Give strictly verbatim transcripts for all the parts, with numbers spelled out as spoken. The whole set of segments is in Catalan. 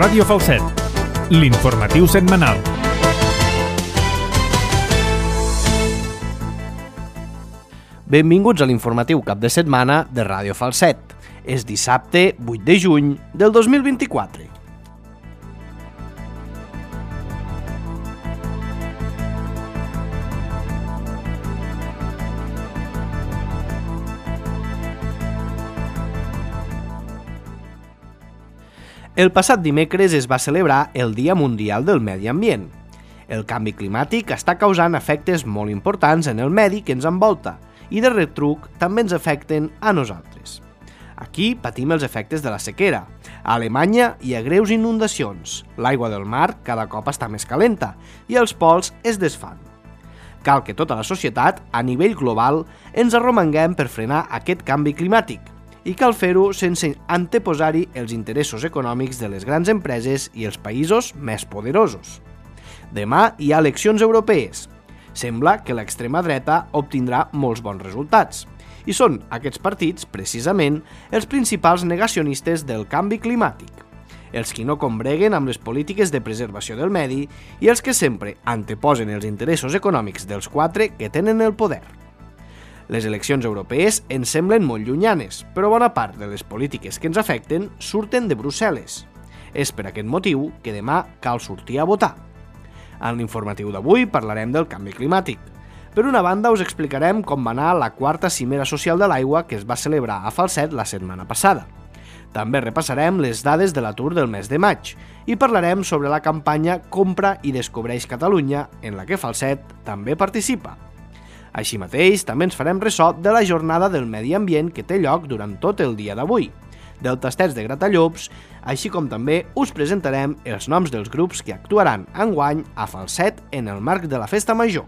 Ràdio Falset, l'informatiu setmanal. Benvinguts a l'informatiu cap de setmana de Ràdio Falset. És dissabte vuit de juny del dos mil vint-i-quatre. El passat dimecres es va celebrar el Dia Mundial del Medi Ambient. El canvi climàtic està causant efectes molt importants en el medi que ens envolta i de retruc també ens afecten a nosaltres. Aquí patim els efectes de la sequera. A Alemanya hi ha greus inundacions, l'aigua del mar cada cop està més calenta i els pols es desfan. Cal que tota la societat, a nivell global, ens arromanguem per frenar aquest canvi climàtic i cal fer-ho sense anteposar-hi els interessos econòmics de les grans empreses i els països més poderosos. Demà hi ha eleccions europees. Sembla que l'extrema dreta obtindrà molts bons resultats. I són aquests partits, precisament, els principals negacionistes del canvi climàtic. Els qui no combreguen amb les polítiques de preservació del medi i els que sempre anteposen els interessos econòmics dels quatre que tenen el poder. Les eleccions europees ens semblen molt llunyanes, però bona part de les polítiques que ens afecten surten de Brussel·les. És per aquest motiu que demà cal sortir a votar. En l'informatiu d'avui parlarem del canvi climàtic. Per una banda us explicarem com va anar la quarta cimera social de l'aigua que es va celebrar a Falset la setmana passada. També repassarem les dades de l'atur del mes de maig i parlarem sobre la campanya Compra i Descobreix Catalunya, en la que Falset també participa. Així mateix, també ens farem ressò de la jornada del medi ambient que té lloc durant tot el dia d'avui, del tastets de Gratallops, així com també us presentarem els noms dels grups que actuaran enguany a Falset en el marc de la Festa Major.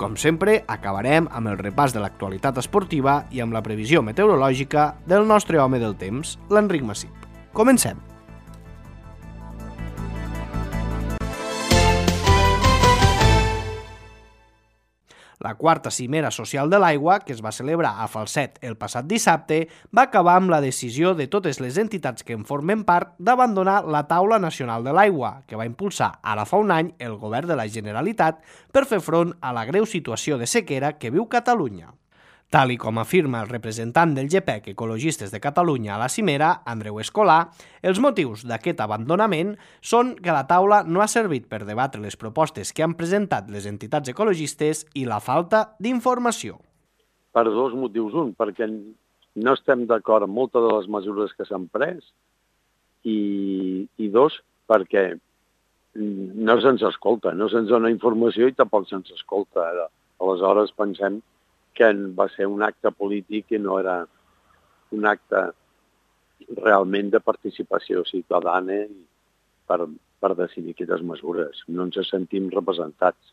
Com sempre, acabarem amb el repàs de l'actualitat esportiva i amb la previsió meteorològica del nostre home del temps, l'Enric Massip. Comencem! La quarta cimera social de l'aigua, que es va celebrar a Falset el passat dissabte, va acabar amb la decisió de totes les entitats que en formen part d'abandonar la Taula Nacional de l'Aigua, que va impulsar ara fa un any el govern de la Generalitat per fer front a la greu situació de sequera que viu Catalunya. Tal i com afirma el representant del G P E C Ecologistes de Catalunya a la cimera, Andreu Escolà, els motius d'aquest abandonament són que la taula no ha servit per debatre les propostes que han presentat les entitats ecologistes i la falta d'informació. Per dos motius. Un, perquè no estem d'acord amb moltes de les mesures que s'han pres i, i dos, perquè no se'ns escolta, no se'ns dona informació i tampoc se'ns escolta. Aleshores pensem que va ser un acte polític i no era un acte realment de participació ciutadana per, per decidir aquestes mesures. No ens sentim representats.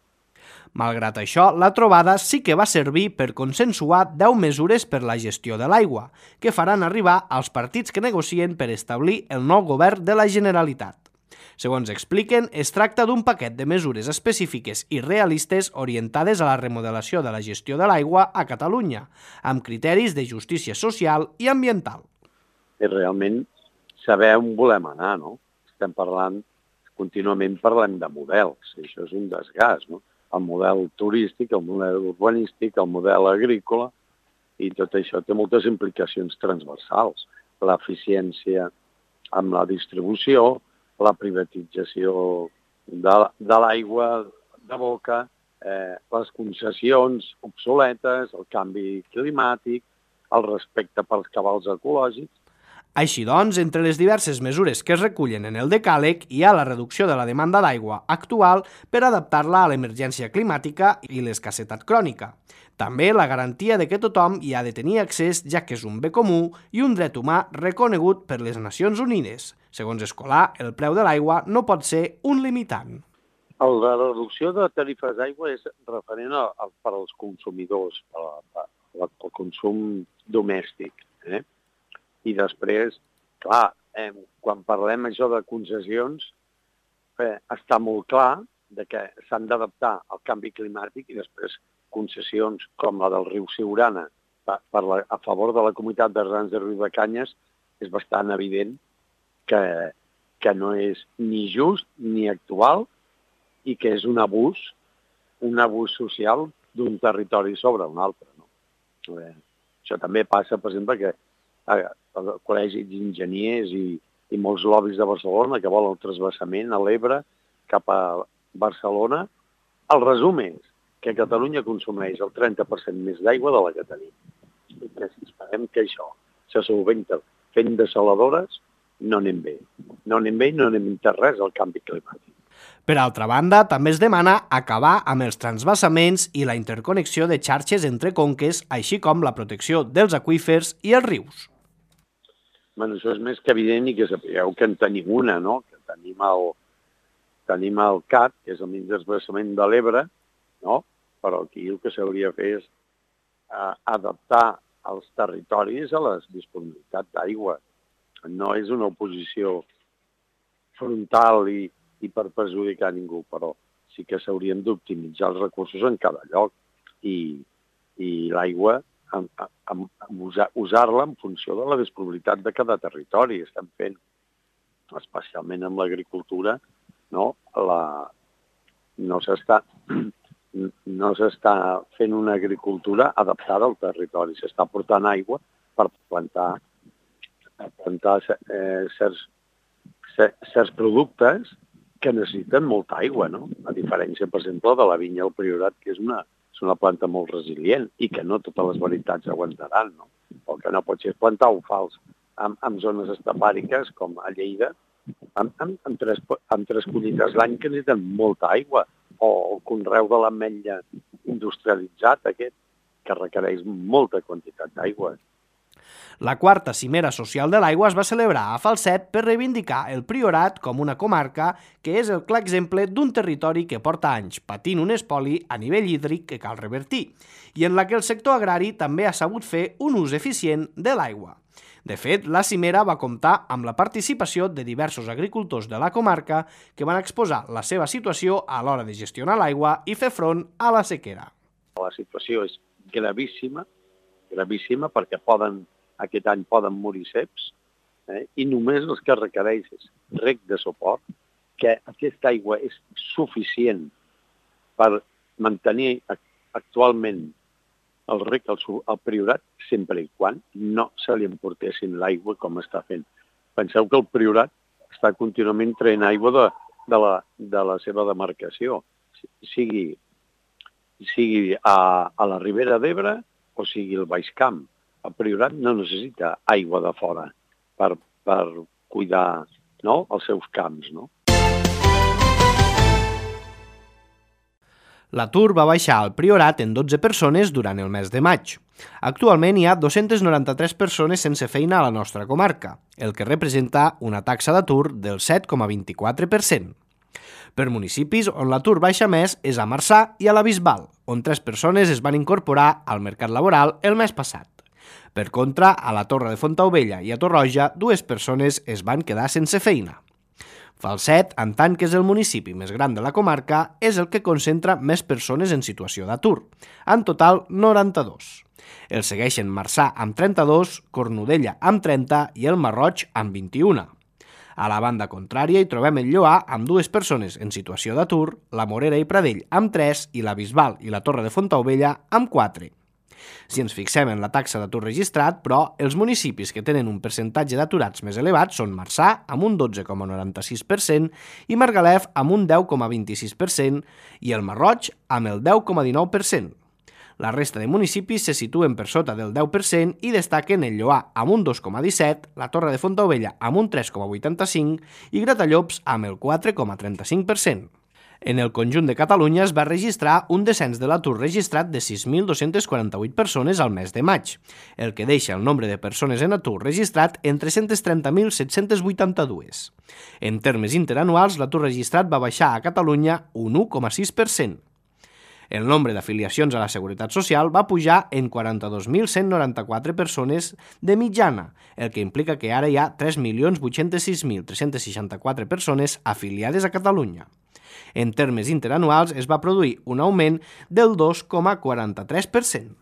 Malgrat això, la trobada sí que va servir per consensuar deu mesures per la gestió de l'aigua, que faran arribar als partits que negocien per establir el nou govern de la Generalitat. Segons expliquen, es tracta d'un paquet de mesures específiques i realistes orientades a la remodelació de la gestió de l'aigua a Catalunya, amb criteris de justícia social i ambiental. I realment saber on volem anar, no? Estem parlant, contínuament parlem de models, i això és un desgast, no? El model turístic, el model urbanístic, el model agrícola, i tot això té moltes implicacions transversals. L'eficiència amb la distribució, la privatització de, de l'aigua de boca, eh, les concessions obsoletes, el canvi climàtic, el respecte pels cabals ecològics. Així doncs, entre les diverses mesures que es recullen en el decàleg hi ha la reducció de la demanda d'aigua actual per adaptar-la a l'emergència climàtica i l'escassetat crònica. També la garantia de que tothom hi ha de tenir accés, ja que és un bé comú i un dret humà reconegut per les Nacions Unides. Segons Escolà, el preu de l'aigua no pot ser un limitant. La reducció de tarifes d'aigua és referent a, a, per als consumidors, per, a, per, pel consum domèstic. Eh? I després, clar, eh, quan parlem això de concessions, eh, està molt clar de que s'han d'adaptar al canvi climàtic i després concessions com la del riu Siurana per, per la, a favor de la comunitat de regants de Riudecanyes és bastant evident que, que no és ni just ni actual i que és un abús, un abús social d'un territori sobre un altre. No? Bé, això també passa, per exemple, que al Col·legi d'Enginyers i, i molts lobbies de Barcelona que volen el transvasament a l'Ebre cap a Barcelona. El resum és que Catalunya consumeix el trenta per cent més d'aigua de la que tenim. I que si esperem que això se solventa fent desaladores, no anem bé. No anem bé i no anem entès res al canvi climàtic. Per altra banda, també es demana acabar amb els transvasaments i la interconnexió de xarxes entre conques, així com la protecció dels aqüífers i els rius. Bueno, això és més que evident i que sapigueu que en tenim una, no? Que tenim el, tenim el C A T, que és el mig transvasament de l'Ebre, no? Però aquí el que s'hauria de fer és eh, adaptar els territoris a les disponibilitats d'aigua. No és una oposició frontal i, i per perjudicar ningú, però sí que s'haurien d'optimitzar els recursos en cada lloc i, i l'aigua usar, usar-la en funció de la disponibilitat de cada territori. Estem fent, especialment amb l'agricultura, no, la, no s'està no s'està fent una agricultura adaptada al territori, s'està portant aigua per plantar, per plantar eh, certs, certs productes que necessiten molta aigua, no? A diferència, per exemple, de la vinya al Priorat, que és una, és una planta molt resilient i que no totes les varietats aguantaran, no? El que no pot ser és plantar un fals en, en zones estepàriques com a Lleida, amb, amb, amb, tres, amb tres collites l'any que necessiten molta aigua, o el conreu de l'ametlla industrialitzat aquest, que requereix molta quantitat d'aigua. La quarta cimera social de l'aigua es va celebrar a Falset per reivindicar el Priorat com una comarca que és el clar exemple d'un territori que porta anys patint un espoli a nivell hídric que cal revertir i en la que el sector agrari també ha sabut fer un ús eficient de l'aigua. De fet, la cimera va comptar amb la participació de diversos agricultors de la comarca que van exposar la seva situació a l'hora de gestionar l'aigua i fer front a la sequera. La situació és gravíssima, gravíssima perquè poden, aquest any poden morir ceps, eh? I només el que requereix és reg de suport, que aquesta aigua és suficient per mantenir actualment el reg al, al Priorat, sempre i quan no se li emportessin l'aigua com està fent. Penseu que el Priorat està contínuament traient aigua de, de, la, de la seva demarcació, sigui, sigui a, a la Ribera d'Ebre o sigui el Baix Camp. El Priorat no necessita aigua de fora per, per cuidar, no, els seus camps, no? L'atur va baixar al Priorat en dotze persones durant el mes de maig. Actualment hi ha dues-centes noranta-tres persones sense feina a la nostra comarca, el que representa una taxa d'atur del set coma vint-i-quatre per cent. Per municipis on l'atur baixa més és a Marçà i a la Bisbal, on tres persones es van incorporar al mercat laboral el mes passat. Per contra, a la Torre de Fontaubella i a Torroja, dues persones es van quedar sense feina. Falset, en tant que és el municipi més gran de la comarca, és el que concentra més persones en situació d'atur, en total noranta-dos. El segueixen Marçà amb trenta-dos, Cornudella amb trenta i el Marroig amb vint-i-un. A la banda contrària hi trobem el Lloar amb dues persones en situació d'atur, la Morera i Pradell amb tres i la Bisbal i la Torre de Fontaubella amb quatre. Si ens fixem en la taxa d'atur registrat, però, els municipis que tenen un percentatge d'aturats més elevat són Marçà, amb un dotze coma noranta-sis per cent, i Margalef, amb un deu coma vint-i-sis per cent, i el Marroig, amb el deu coma dinou per cent. La resta de municipis se situen per sota del deu per cent i destaquen el Lloar amb un dos coma disset, la Torre de Fontaubella amb un tres coma vuitanta-cinc i Gratallops amb el quatre coma trenta-cinc per cent. En el conjunt de Catalunya es va registrar un descens de l'atur registrat de sis mil dos-centes quaranta-vuit persones al mes de maig, el que deixa el nombre de persones en atur registrat en tres-cents trenta mil set-cents vuitanta-dos. En termes interanuals, l'atur registrat va baixar a Catalunya un u coma sis per cent. El nombre d'afiliacions a la Seguretat Social va pujar en quaranta-dos mil cent noranta-quatre persones de mitjana, el que implica que ara hi ha tres milions vuit-cents sis mil tres-cents seixanta-quatre persones afiliades a Catalunya. En termes interanuals es va produir un augment del dos coma quaranta-tres per cent.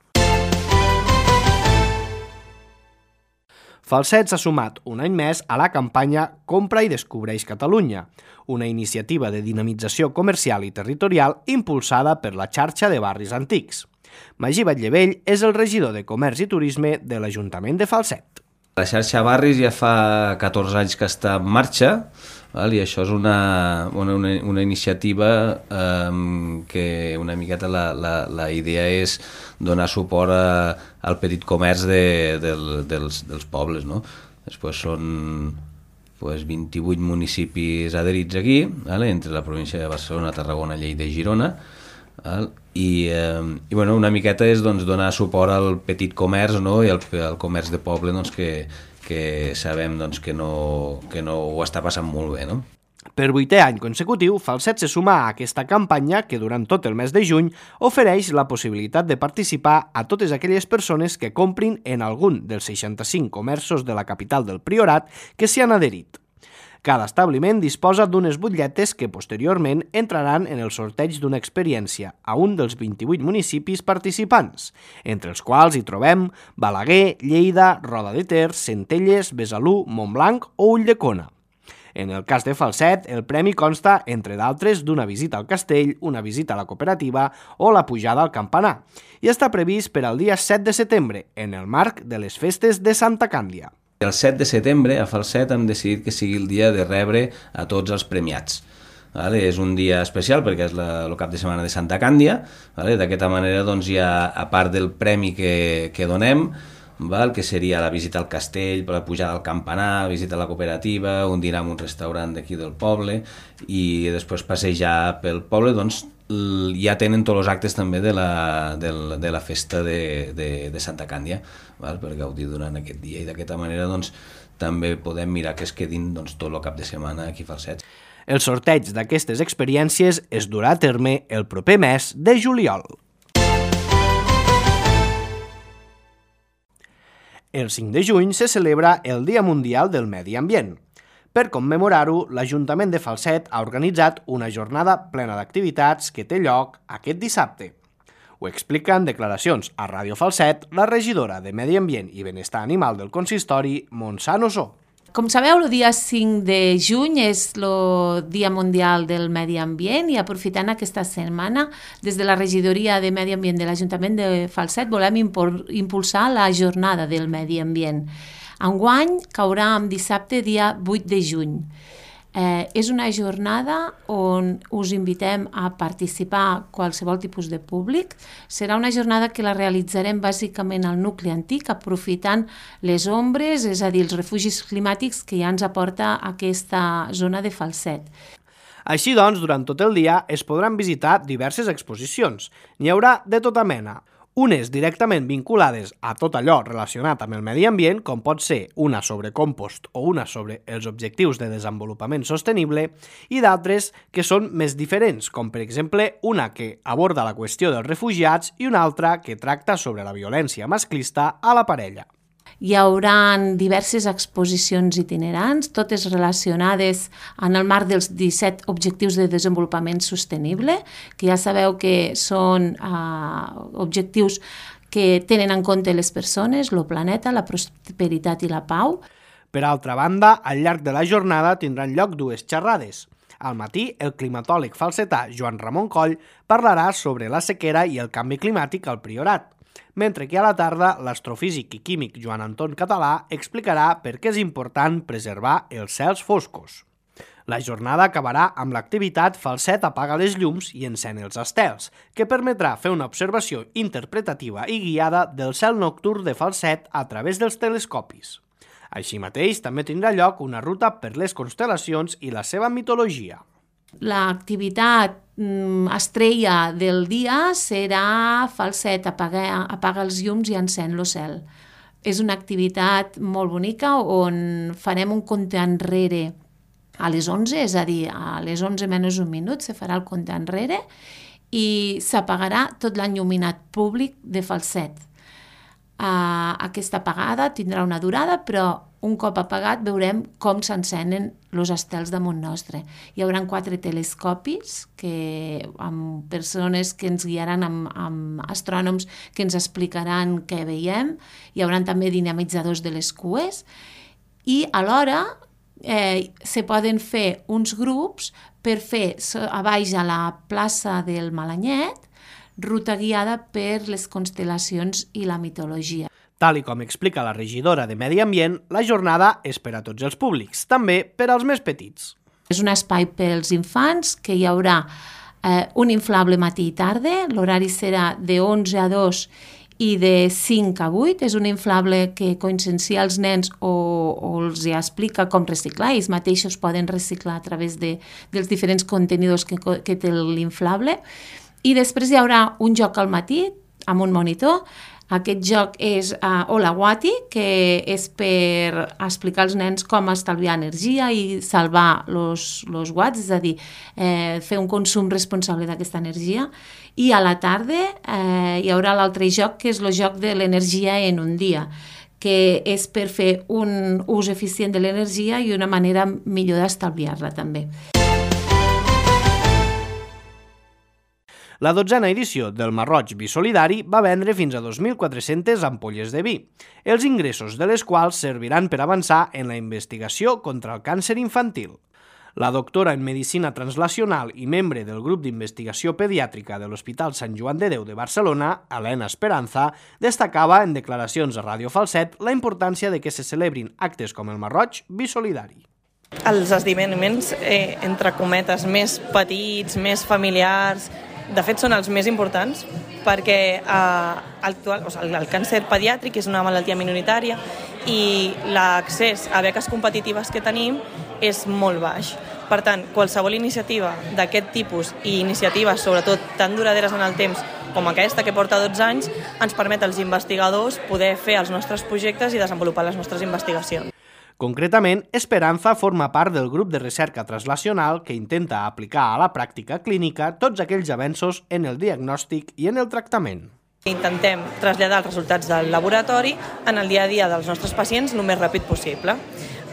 Falset s'ha sumat un any més a la campanya Compra i Descobreix Catalunya, una iniciativa de dinamització comercial i territorial impulsada per la xarxa de barris antics. Magí Batllevell és el regidor de Comerç i Turisme de l'Ajuntament de Falset. La xarxa Barris ja fa catorze anys que està en marxa, val? I això és una, una, una iniciativa eh, que una miqueta la, la, la idea és donar suport a, al petit comerç de, del, dels, dels pobles, no? Després són pues, vint-i-vuit municipis adherits aquí, vale? Entre la província de Barcelona, Tarragona, Lleida i Girona, val? I, eh, i bueno, una miqueta és doncs, donar suport al petit comerç, no? I al, al comerç de poble doncs, que, que sabem doncs, que, no, que no ho està passant molt bé. No? Per vuitè any consecutiu, Falset se suma a aquesta campanya que durant tot el mes de juny ofereix la possibilitat de participar a totes aquelles persones que comprin en algun dels seixanta-cinc comerços de la capital del Priorat que s'hi han adherit. Cada establiment disposa d'unes butlletes que posteriorment entraran en el sorteig d'una experiència a un dels vint-i-vuit municipis participants, entre els quals hi trobem Balaguer, Lleida, Roda de Ter, Centelles, Besalú, Montblanc o Ulldecona. En el cas de Falset, el premi consta, entre d'altres, d'una visita al castell, una visita a la cooperativa o la pujada al campanar, i està previst per al dia set de setembre, en el marc de les festes de Santa Càndia. El set de setembre a Falset hem decidit que sigui el dia de rebre a tots els premiats. Vale? És un dia especial perquè és la, el cap de setmana de Santa Càndia. Vale? D'aquesta manera, doncs, hi ha, a part del premi que, que donem, val? Que seria la visita al castell, la pujada al campanar, visita a la cooperativa, un dinar en un restaurant d'aquí del poble i després passejar pel poble, doncs, ja tenen tots els actes també de la, de la, de la festa de, de, de Santa Càndia, val? Per gaudir durant aquest dia i d'aquesta manera doncs, també podem mirar que es quedin doncs, tot el cap de setmana aquí a Falset. El sorteig d'aquestes experiències es durà a terme el proper mes de juliol. El cinc de juny se celebra el Dia Mundial del Medi Ambient. Per commemorar-ho, l'Ajuntament de Falset ha organitzat una jornada plena d'activitats que té lloc aquest dissabte. Ho explica en declaracions a Ràdio Falset la regidora de Medi Ambient i Benestar Animal del consistori, Montse Nosó. Com sabeu, el dia cinc de juny és el Dia Mundial del Medi Ambient i aprofitant aquesta setmana, des de la regidoria de Medi Ambient de l'Ajuntament de Falset volem impulsar la jornada del Medi Ambient. Enguany caurà en dissabte, dia vuit de juny. Eh, és una jornada on us invitem a participar qualsevol tipus de públic. Serà una jornada que la realitzarem bàsicament al nucli antic, aprofitant les ombres, és a dir, els refugis climàtics que ja ens aporta aquesta zona de Falset. Així doncs, durant tot el dia es podran visitar diverses exposicions. N'hi haurà de tota mena. Unes directament vinculades a tot allò relacionat amb el medi ambient, com pot ser una sobre compost o una sobre els objectius de desenvolupament sostenible, i d'altres que són més diferents, com per exemple una que aborda la qüestió dels refugiats i una altra que tracta sobre la violència masclista a la parella. Hi haurà diverses exposicions itinerants, totes relacionades en el marc dels disset Objectius de Desenvolupament Sostenible, que ja sabeu que són eh, objectius que tenen en compte les persones, el planeta, la prosperitat i la pau. Per altra banda, al llarg de la jornada tindran lloc dues xerrades. Al matí, el climatòleg falsetà Joan Ramon Coll parlarà sobre la sequera i el canvi climàtic al Priorat, mentre que a la tarda l'astrofísic i químic Joan Anton Català explicarà per què és important preservar els cels foscos. La jornada acabarà amb l'activitat Falset apaga les llums i encén els estels, que permetrà fer una observació interpretativa i guiada del cel nocturn de Falset a través dels telescopis. Així mateix, també tindrà lloc una ruta per les constel·lacions i la seva mitologia. L'activitat estrella del dia serà Falset apaga, apaga els llums i encén el cel. És una activitat molt bonica on farem un compte enrere a les onze, és a dir, a les onze menys un minut se farà el compte enrere i s'apagarà tot l'enlluminat públic de Falset. Uh, aquesta apagada tindrà una durada, però un cop apagat veurem com s'encenen els estels damunt nostre. Hi haurà quatre telescopis que, amb persones que ens guiaran, amb, amb astrònoms que ens explicaran què veiem. Hi haurà també dinamitzadors de les cues i alhora eh, se poden fer uns grups per fer a baix a la plaça del Malanyet ruta guiada per les constel·lacions i la mitologia. Tal i com explica la regidora de Medi Ambient, la jornada és per a tots els públics, també per als més petits. És un espai pels infants, que hi haurà eh, un inflable matí i tarda, l'horari serà de onze a dos i de cinc a vuit. És un inflable que consciencia els nens o, o els explica com reciclar. Ells mateixos poden reciclar a través de, dels diferents contenidors que, que té l'inflable. I després hi haurà un joc al matí amb un monitor. Aquest joc és uh, Olawati, que és per explicar als nens com estalviar energia i salvar els watts, és a dir, eh, fer un consum responsable d'aquesta energia. I a la tarda eh, hi haurà l'altre joc, que és el joc de l'energia en un dia, que és per fer un ús eficient de l'energia i una manera millor d'estalviar-la també. La dotzena edició del Marroig Bisolidari va vendre fins a dos mil quatre-centes ampolles de vi, els ingressos de les quals serviran per avançar en la investigació contra el càncer infantil. La doctora en Medicina Translacional i membre del grup d'investigació pediàtrica de l'Hospital Sant Joan de Déu de Barcelona, Elena Esperanza, destacava en declaracions a Ràdio Falset la importància de que se celebrin actes com el Marroig Bisolidari. Els esdeveniments, eh, entre cometes, més petits, més familiars, de fet són els més importants perquè eh, actual, o sigui, el càncer pediàtric és una malaltia minoritària i l'accés a beques competitives que tenim és molt baix. Per tant, qualsevol iniciativa d'aquest tipus i iniciatives, sobretot tan duraderes en el temps com aquesta que porta dotze anys, ens permet als investigadors poder fer els nostres projectes i desenvolupar les nostres investigacions. Concretament, Esperanza forma part del grup de recerca translacional que intenta aplicar a la pràctica clínica tots aquells avenços en el diagnòstic i en el tractament. Intentem traslladar els resultats del laboratori en el dia a dia dels nostres pacients el més ràpid possible.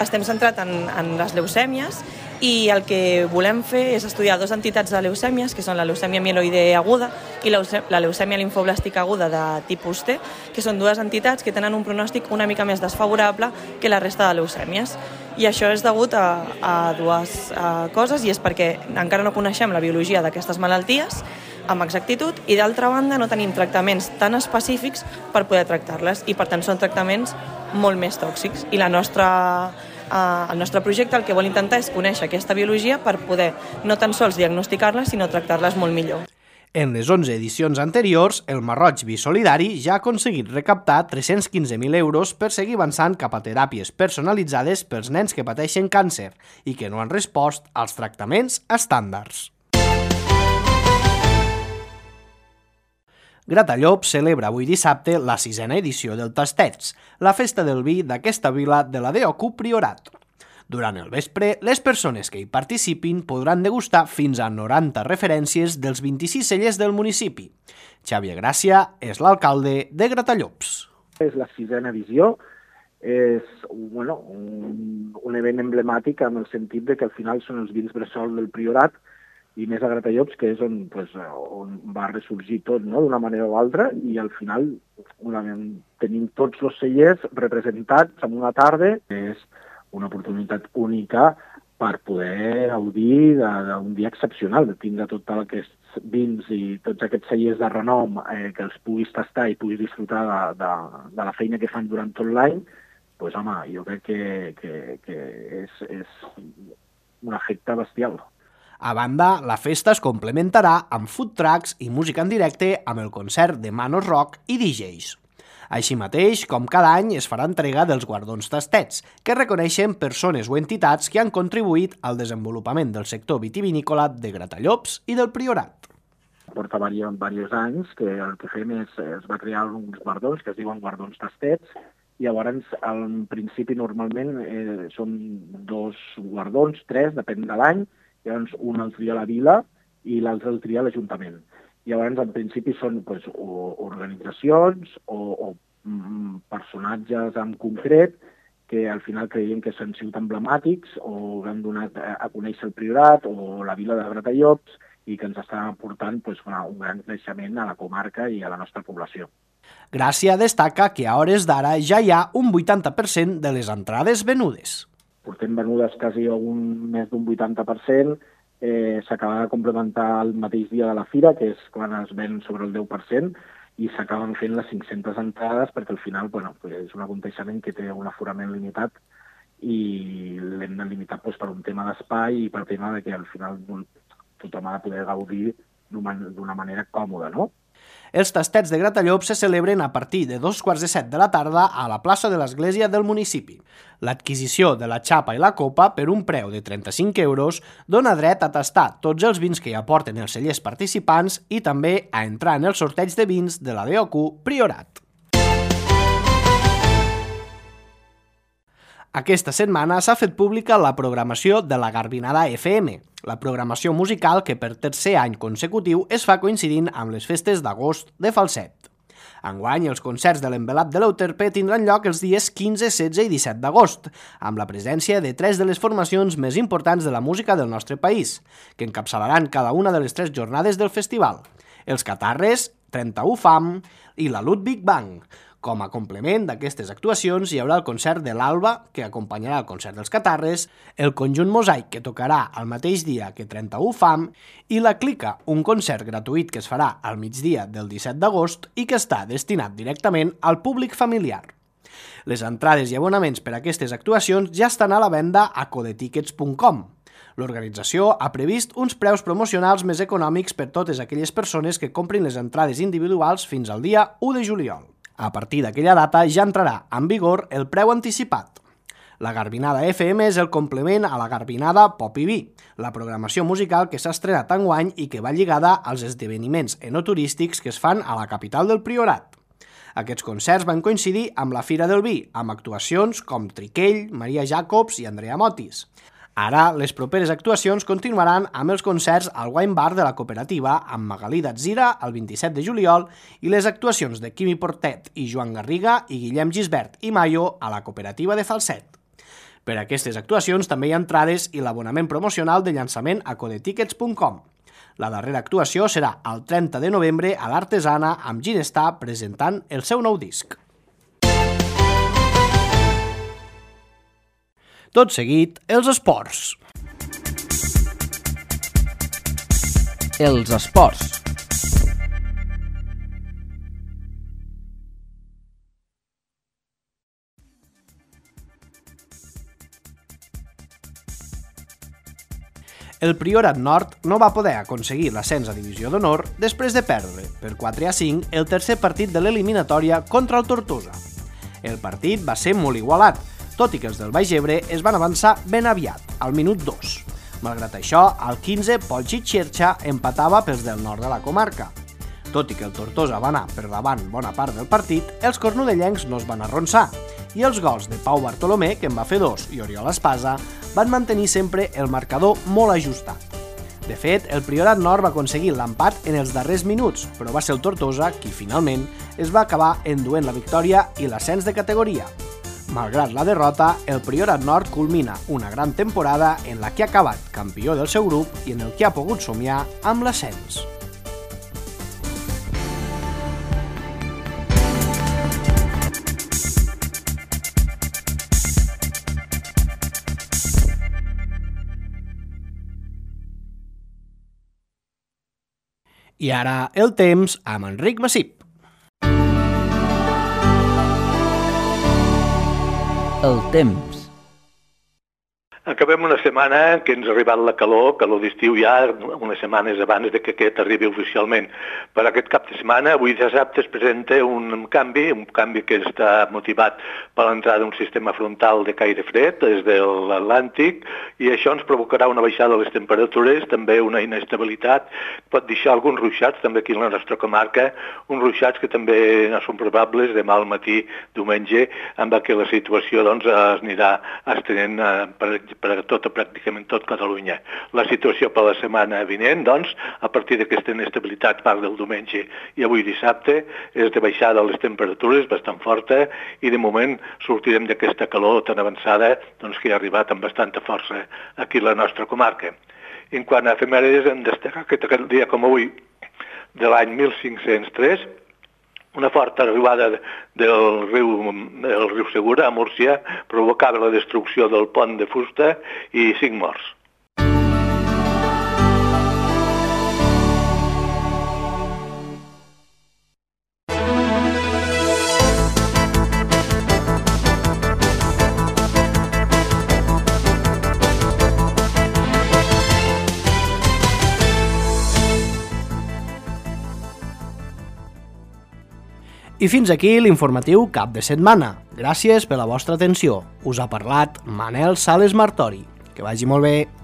Estem centrats en, en les leucèmies i el que volem fer és estudiar dues entitats de leucèmies, que són la leucèmia mieloide aguda i la leucèmia limfoblàstica aguda de tipus T, que són dues entitats que tenen un pronòstic una mica més desfavorable que la resta de leucèmies. I això és degut a, a dues a coses, i és perquè encara no coneixem la biologia d'aquestes malalties amb exactitud i, d'altra banda, no tenim tractaments tan específics per poder tractar-les i, per tant, són tractaments molt més tòxics. I la nostra, eh, el nostre projecte el que vol intentar és conèixer aquesta biologia per poder no tan sols diagnosticar-les, sinó tractar-les molt millor. En les onze edicions anteriors, el Marroig Bisolidari ja ha aconseguit recaptar tres-cents quinze mil euros per seguir avançant cap a teràpies personalitzades pels nens que pateixen càncer i que no han respost als tractaments estàndards. Gratallops celebra avui dissabte la sisena edició del Tastets, la festa del vi d'aquesta vila de la D O C U Priorat. Durant el vespre, les persones que hi participin podran degustar fins a noranta referències dels vint-i-sis cellers del municipi. Xavier Gràcia és l'alcalde de Gratallops. És la sisena edició, és bueno, un, un event emblemàtic en el sentit de que al final són els vins bressol del Priorat i més a Gratallops, que és on, pues, on va ressorgir tot, no?, d'una manera o altra, i al final una, tenim tots els cellers representats en una tarda, que és una oportunitat única per poder gaudir d'un dia excepcional, de tindre tot aquests vins i tots aquests cellers de renom eh, que els puguis tastar i puguis disfrutar de, de, de la feina que fan durant tot l'any. Pues, home, jo crec que, que, que és, és un efecte bestial. A banda, la festa es complementarà amb food trucks i música en directe amb el concert de Manos Rock i D Js. Així mateix, com cada any, es farà entrega dels guardons Tastets, que reconeixen persones o entitats que han contribuït al desenvolupament del sector vitivinícola de Gratallops i del Priorat. Porta diversos anys que el que fem és, es va crear uns guardons que es diuen guardons Tastets, i llavors, al principi, normalment, eh, són dos guardons, tres, depèn de l'any, llavors un el tria la vila i l'altre el tria l'Ajuntament. Llavors, en principi, són pues, o organitzacions o, o mm, personatges en concret que al final creiem que són sigut emblemàtics o han donat a conèixer el Priorat o la vila de Gratallops i que ens estan aportant pues, un gran creixement a la comarca i a la nostra població. Gràcia destaca que a hores d'ara ja hi ha un vuitanta per cent de les entrades venudes. Portem venudes quasi un, més d'un vuitanta per cent, eh, s'acaba de complementar el mateix dia de la fira, que és quan es ven sobre el deu per cent, i s'acaben fent les cinc-centes entrades perquè al final bueno, pues és un aconteixement que té un aforament limitat i l'hem de limitar pues, per un tema d'espai i per tema de que al final tothom ha de poder gaudir d'una manera còmoda, no? Els tastets de Gratallops se celebren a partir de dos quarts de set de la tarda a la plaça de l'església del municipi. L'adquisició de la xapa i la copa per un preu de trenta-cinc euros dona dret a tastar tots els vins que hi aporten els cellers participants i també a entrar en el sorteig de vins de la D O Q Priorat. Aquesta setmana s'ha fet pública la programació de la Garbinada F M, la programació musical que per tercer any consecutiu es fa coincidint amb les festes d'agost de Falset. Enguany, els concerts de l'Envelat de l'Euterpe tindran lloc els dies quinze, setze i disset d'agost, amb la presència de tres de les formacions més importants de la música del nostre país, que encapçalaran cada una de les tres jornades del festival: els Catarres, trenta-u Fam i la Ludwig Bang. Com a complement d'aquestes actuacions hi haurà el concert de l'Alba, que acompanyarà el concert dels Catarres, el conjunt Mosaic, que tocarà el mateix dia que trenta-u Fam, i la Clica, un concert gratuït que es farà al migdia del disset d'agost i que està destinat directament al públic familiar. Les entrades i abonaments per a aquestes actuacions ja estan a la venda a codetickets punt com. L'organització ha previst uns preus promocionals més econòmics per totes aquelles persones que comprin les entrades individuals fins al dia u de juliol. A partir d'aquella data ja entrarà en vigor el preu anticipat. La Garbinada F M és el complement a la Garbinada Pop i Vi, la programació musical que s'ha estrenat enguany i que va lligada als esdeveniments enoturístics que es fan a la capital del Priorat. Aquests concerts van coincidir amb la Fira del Vi, amb actuacions com Triquell, Maria Jacobs i Andrea Motis. Ara, les properes actuacions continuaran amb els concerts al Wine Bar de la cooperativa amb Magalí d'Atzira el vint-i-set de juliol i les actuacions de Quimi Portet i Joan Garriga i Guillem Gisbert i Mayo a la cooperativa de Falset. Per a aquestes actuacions també hi ha entrades i l'abonament promocional de llançament a codetickets punt com. La darrera actuació serà el trenta de novembre a l'Artesana amb Ginestar presentant el seu nou disc. Tot seguit, els esports. Els esports. El Priorat Nord no va poder aconseguir l'ascens a Divisió d'Honor després de perdre, per quatre a cinc, el tercer partit de l'eliminatòria contra el Tortosa. El partit va ser molt igualat, tot i que els del Baix Ebre es van avançar ben aviat, al minut dos. Malgrat això, al quinze, Polchi Xerxa empatava pels del nord de la comarca. Tot i que el Tortosa va anar per davant bona part del partit, els cornudellencs no es van arronsar, i els gols de Pau Bartolomé, que en va fer dos, i Oriol Espasa, van mantenir sempre el marcador molt ajustat. De fet, el Priorat Nord va aconseguir l'empat en els darrers minuts, però va ser el Tortosa qui, finalment, es va acabar enduent la victòria i l'ascens de categoria. Malgrat la derrota, el Priorat Nord culmina una gran temporada en la que ha acabat campió del seu grup i en el que ha pogut somiar amb l'ascens. I ara el temps amb Enric Massip. El temps. Acabem una setmana que ens ha arribat la calor, calor d'estiu ja unes setmanes abans de que aquest arribi oficialment. Per aquest cap de setmana, avui dissabte, es presenta un canvi, un canvi que està motivat per l'entrada d'un sistema frontal de caire fred des de l'Atlàntic i això ens provocarà una baixada de les temperatures, també una inestabilitat, pot deixar alguns ruixats també aquí en la nostra comarca, uns ruixats que també no són probables demà al matí, diumenge, amb què la situació doncs, es anirà estenent, per exemple, per a tot, pràcticament tot Catalunya. La situació per la setmana vinent, doncs, a partir d'aquesta inestabilitat part del diumenge i avui dissabte, és de baixada les temperatures bastant forta i de moment sortirem d'aquesta calor tan avançada doncs, que ha arribat amb bastanta força aquí a la nostra comarca. En quant a efemèrides, hem destacat que aquest dia com avui, de l'any mil cinc-cents tres, una forta arribada del riu, del riu Segura a Múrcia provocava la destrucció del pont de fusta i cinc morts. I fins aquí l'informatiu cap de setmana. Gràcies per la vostra atenció. Us ha parlat Manel Sales Martori. Que vagi molt bé.